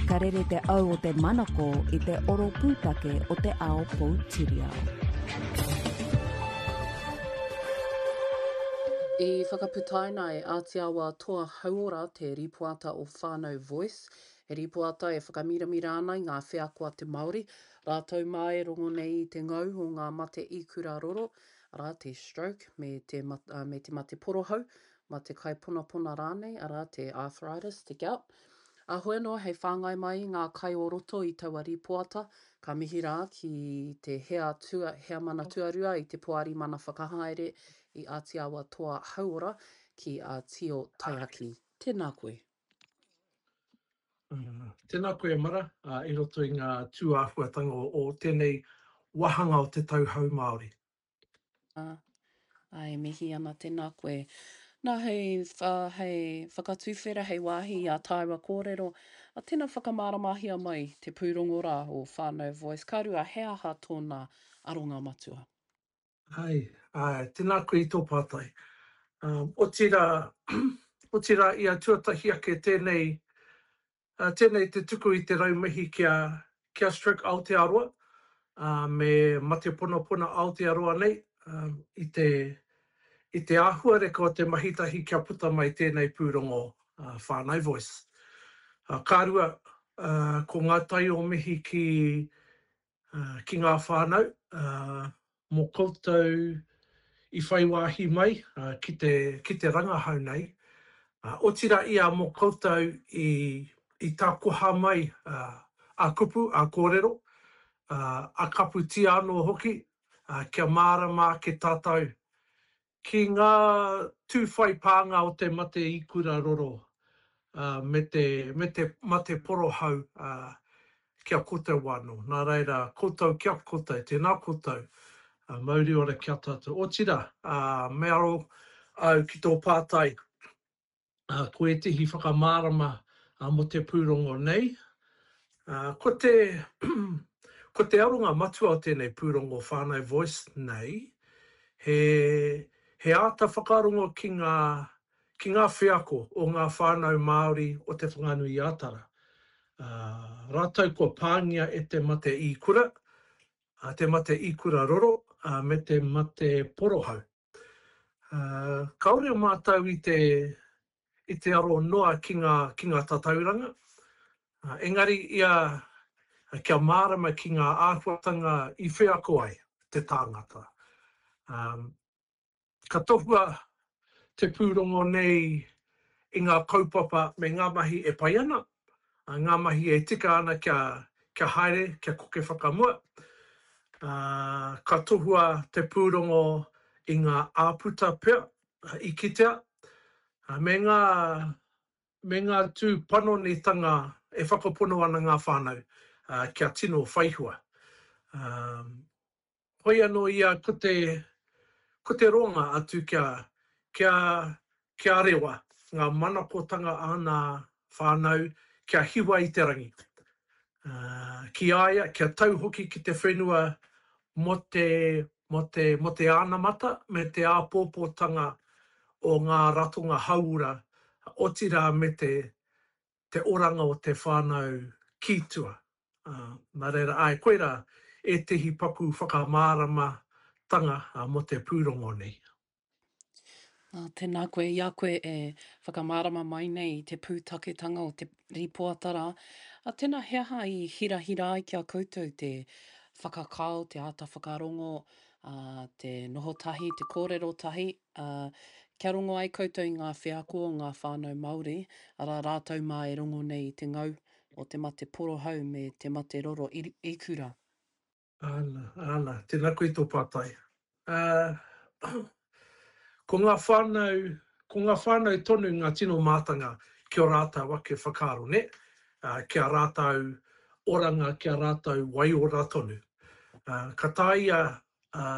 Ka rere te au o te manako i te oro pūtake o te ao poutiriao. I whakaputaina e Ātiawa Toa Hauora te rīpoata o Whānau Voice, he rīpoata e whakamiramira ana i ngā wheako a te Māori, rātou mā e rongo nei i te ngau o ngā mate ikura roro, arā, te stroke me te, me te mate porohau, mate kaiponapona rānei, arā, te arthritis, te gout. Ā, hoi anō, hei whāngai mai i ngā kai o roto i taua rīpoata, ka mihi rā ki te hea tua, heamana tuarua i te Poari Mana Whakahaere i Ātiawa Toa Hauora, ki a Tio Taiaki. Tēnā koe. Tēnā koe e Mara, i roto i ngā tūāhuatanga o tēnei wāhanga o te Tau Hou Māori. Ā, e mihi ana, tēnā koe. Nā, hei, hei whakatuwhera, hei wāhi i ā tāua kōrero, a tēnā whakamāramahia mai te pūrongo rā o Whānau Voice. Ka rua, he aha tōna aronga matua? Āe, āe, tēnā koe i tō pātai. Um, otirā, otirā ia tuatahi ake tēnei, uh, tēnei te tuku i te raumihi ki a, ki a Stroke Aotearoa, uh, me Mate Ponapona Aotearoa nei, um, i te, i te āhuareka o te mahitahi kia puta mai tēnei pūrongo uh, Whānau Voice. Uh, ka rua, uh, ko ngā tai o mihi ki, ki ngā whānau mō koutou i whai wāhi mai ki te, ki te rangahau nei, otirā ia mō koutou i, i tākoha mai a kupu, a kōrero, a kaputia anō hoki, kia mārama ake tātou Ki ngā tū whai pānga o te mate ikura roro me te, me te mate porohau ki a koutou anō. Nā reira, koutou ki a koutou, tēnā koutou, mauri ora ki a tātou. Otirā, me aro au ki tō pātai, Ko ētehi whakamārama mō te pūrongo nei, ko te, ko te aronga matua o tēnei pūrongo Whānau Voice nei, he, he āta whakarongo ki ngā, ki ngā wheako o ngā whānau Māori o Te Whanganui-a-Tara, rātou kua pāngia e te mate īkura, te mate īkura roro, me te mate porohau. Kāore mātou i te, i te aro noa ki ngā, ki ngā tatauranga, engari ia kia mārama ki ngā āhuatanga i wheako ai te tāngata. Ka tohua te pūrongo nei i ngā kaupapa me ngā mahi e pai ana, ngā mahi e tika ana kia, kia haere, kia koke whakamua. Ā, ka tohua te pūrongo i ngā āputa pea i kitea, me ngā, me ngā tū panonitanga e whakapono ana ngā whānau kia tino whaihua. Ā, Hoi anō ia ko te, ko te roanga atu kia, kia, kia rewa ngā manakotanga a nā whānau kia hiwa i te rangi. Ā, ki a ia, kia tau hoki ki te whenua mō te, mō te, mō te anamata me te āpōpōtanga o ngā ratonga hauora, otirā me te, te oranga o te whānau ki tua. Nā reira, āe, koirā ētehi paku whakamāramatanga mō te pūrongo nei. Nā, tēnā koe, i a koe e whakamārama mai nei i te pūtaketanga o te rīpoata rā. A, tēnā, he aha i hirahira ai ki a koutou te whakakao, te āta whakarongo, ā, te noho tahi, te kōrero tahi, ā, kia rongo ai koutou i ngā wheako o ngā whānau Māori, arā, rātou mā e rongo nei i te ngau o te mate porohau me te mate roro ikura. Āna, āna, tēnā koe i tō pātai. Ā, ko ngā whānau, ko ngā whānau tonu ngā tino mātanga ki ō rātou ake whakaaro, nē? Ā, ki a rātou oranga, ki a rātou waiora tonu. Ā, ka taea, ā,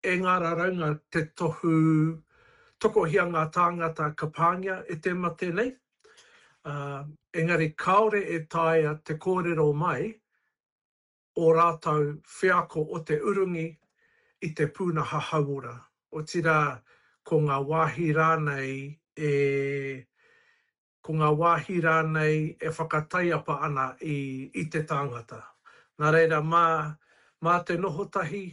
e ngā raraunga te tohu tokohia ngā tāngata ka pāngia e te mate nei, ā, engari kāore e taea te kōrero mai ō rātou wheako o te urungi i te pūnaha hauora, otirā ko ngā wāhi rānei e. ko ngā wāhi rānei e whakataiapa ana i, i te tāngata. Nā reira, mā, mā te noho tahi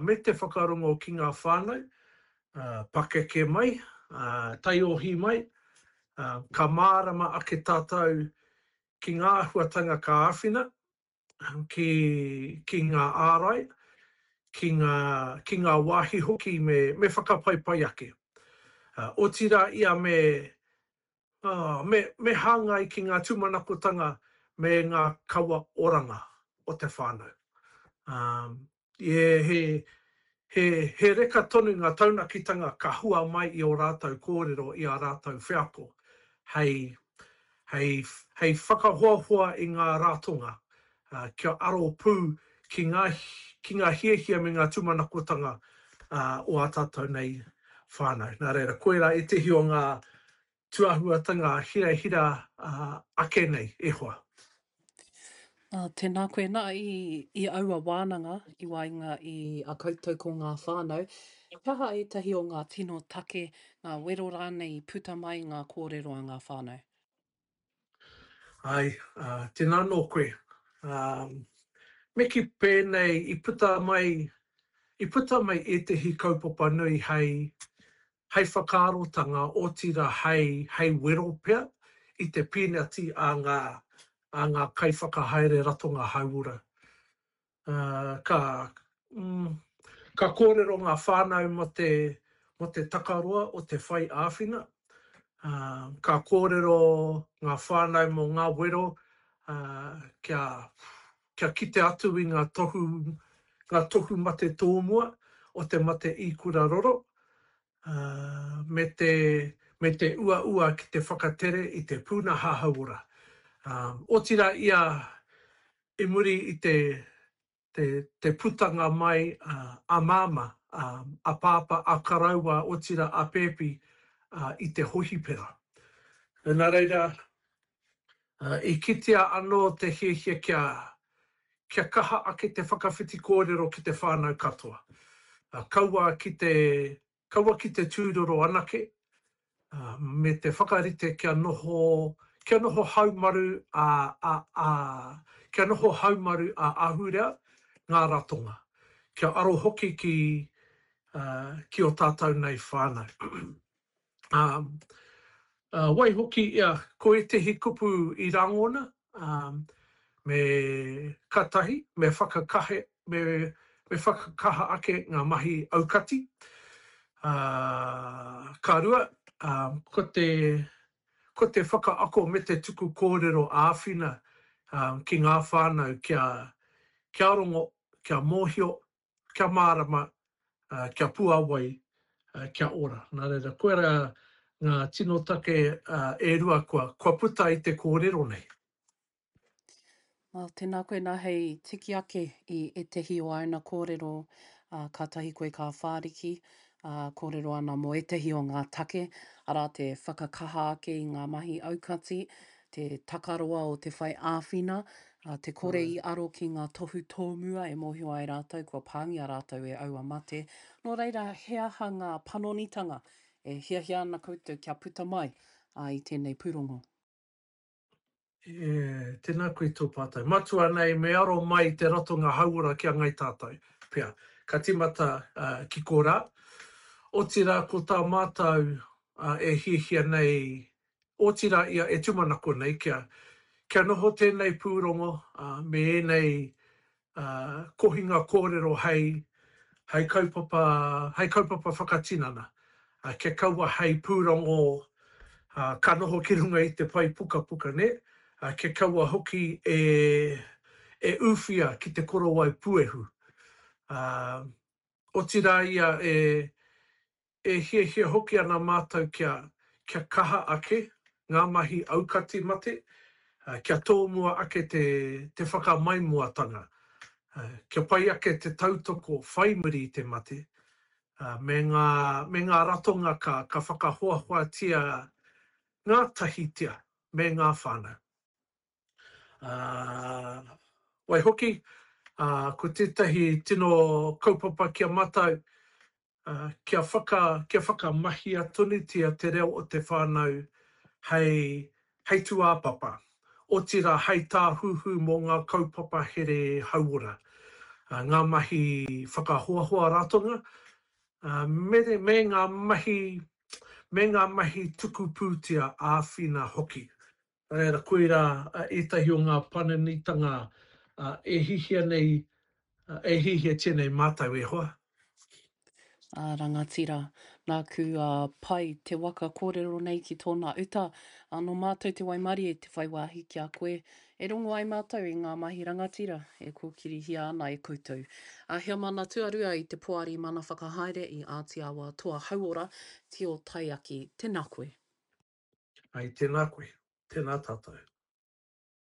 me te whakarongo ki ngā whānau, pakeke mai, taiohi mai, ka mārama ake tātou ki ngā āhuatanga ka āwhina, ki, ki ngā ārai, ki ngā, ki ngā wāhi hoki me, me whakapaipai ake. Otirā ia me, me, me hāngai ki ngā tūmanakotanga me ngā kawa oranga o te whānau. He, he, he, he reka tonu ngā taunakitanga ka hua mai i ō rātou kōrero, i ā rātou wheako, hei, hei, hei whakahoahoa i ngā ratonga, ā, kia aro pū ki ngā, ki ngā hiahia me ngā tūmanakotanga, ā, o ā tātou nei whānau. Nā reira, koirā ētehi o ngā tūāhuatanga hirahira ake nei, e hoa. Tēnā koe. Nā, i, i aua wānanga i waenga i a koutou ko ngā whānau, he aha ētahi o ngā tino take, ngā wero rānei i puta mai i ngā kōrero a ngā whānau? Āe, tēnā anō koe. Me kī pēnei, i puta mai, i puta mai ētehi kaupapa nui hei, hei whakaarotanga, otirā hei, hei wero pea i te pīnati a ngā, a ngā kaiwhakahaere ratonga hauora. Ā, ka, mm, ka kōrero ngā whānau mō te, mō te takaroa o te whai āwhina. Ā, ka kōrero ngā whānau mō ngā wero, ā, kia, kia kite atu i ngā tohu, ngā tohu mate tōmua o te mate īkura roro, ā, me te, me te uaua ki te whakatere i te pūnaha hauora. Ā, otirā ia i muri i te, te, te putanga mai a Māmā, a Pāpā, a Karaua, otirā a Pēpi i te hohipera. Nā reira, I kitea anō te hiahia kia, kia kaha ake te whakawhiti kōrero ki te whānau katoa. Kaua ki te, kaua ki te tūroro anake, me te whakarite kia noho, kia noho haumaru a, a, a, kia noho haumaru ā-ahurea ngā ratonga. Kia aro hoki ki, ki ō tātou nei whānau. Ā, waihoki ia, ko ētehi kupu i rangona, ā, me ka tahi, me whakakahe, me, me whakakaha ake ngā mahi aukati. Ā, ka rua, ā, ko te, ko te whakaako me te tuku kōrero āwhina, ā, ki ngā whānau kia, kia rongo, kia mōhio, kia mārama, kia puāwai, kia ora. Nā reira, koirā ngā tino take e rua kua, kua puta i te kōrero nei. Well, tēnā koe nā hei tiki ake i ētehi o āna kōrero, ā, kātahi koe ka whāriki, ā, kōrero ana mō ētehi o ngā take, arā te whakakaha ake i ngā mahi aukati, te takaroa o te whai āwhina, ā, te kore i aro ki ngā tohu tōmua e mōhio ai rātou kua pāngia rātou e aua mate. Nō reira, he aha ngā panonitanga e hiahia ana koutou kia puta mai i tēnei pūrongo? E, tēnā koe tō pātai. Matua nei me aro mai te ratonga hauora ki a Ngai Tātai, pea. Ka tīmata ki korā. Otirā ko tā mātou e hiahia nei Otirā ia e tūmanako nei kia, kia noho tēnei pūrongo me ēnei kohinga kōrero hei, hei kaupapa, hei kaupapa whakatinana, kia kaua hei pūrongo ka noho ki runga i te pae pukapuka, nē, kia kaua hoki e, e ūwhia ki te korowai puehu. Otirā ia e, E hiahia hoki ana mātou kia, kia kaha ake ngā mahi aukati mate, kia tōmua ake te, te whakamaimoatanga, kia pai ake te tautoko whai muri i te mate, me ngā, me ngā ratonga ka, ka whakahoahoatia ngātahitia me ngā whānau. Waihoki, ko tētahi tino kaupapa ki a mātou, kia whaka, kia whakamahia tonutia te reo o te whānau hei, Hei tūāpapa, otirā hei tāhuhu mō ngā kaupapa here hauora, ngā mahi whakahoahoa ratonga, me, me ngā mahi, me ngā mahi tuku pūtea āwhina hoki. Nā reira, koirā ētahi o ngā panonitanga e hihia nei, e hihiatia nei mātou e hoa. A rangatira. Nāku a Pai te waka kōrero nei ki tōna uta, ā, nō mātou te waimarie te whai wāhi ki a koe, e rongo ai mātou i ngā mahi rangatira e kōkirihia ana e koutou. A Heamana Tuarua i te Poari Mana Whakahaere i Āti Awa Toa Hauora, Tio Taiaki, tēnā koe. Ai, tēnā koe. Tēnā tātou.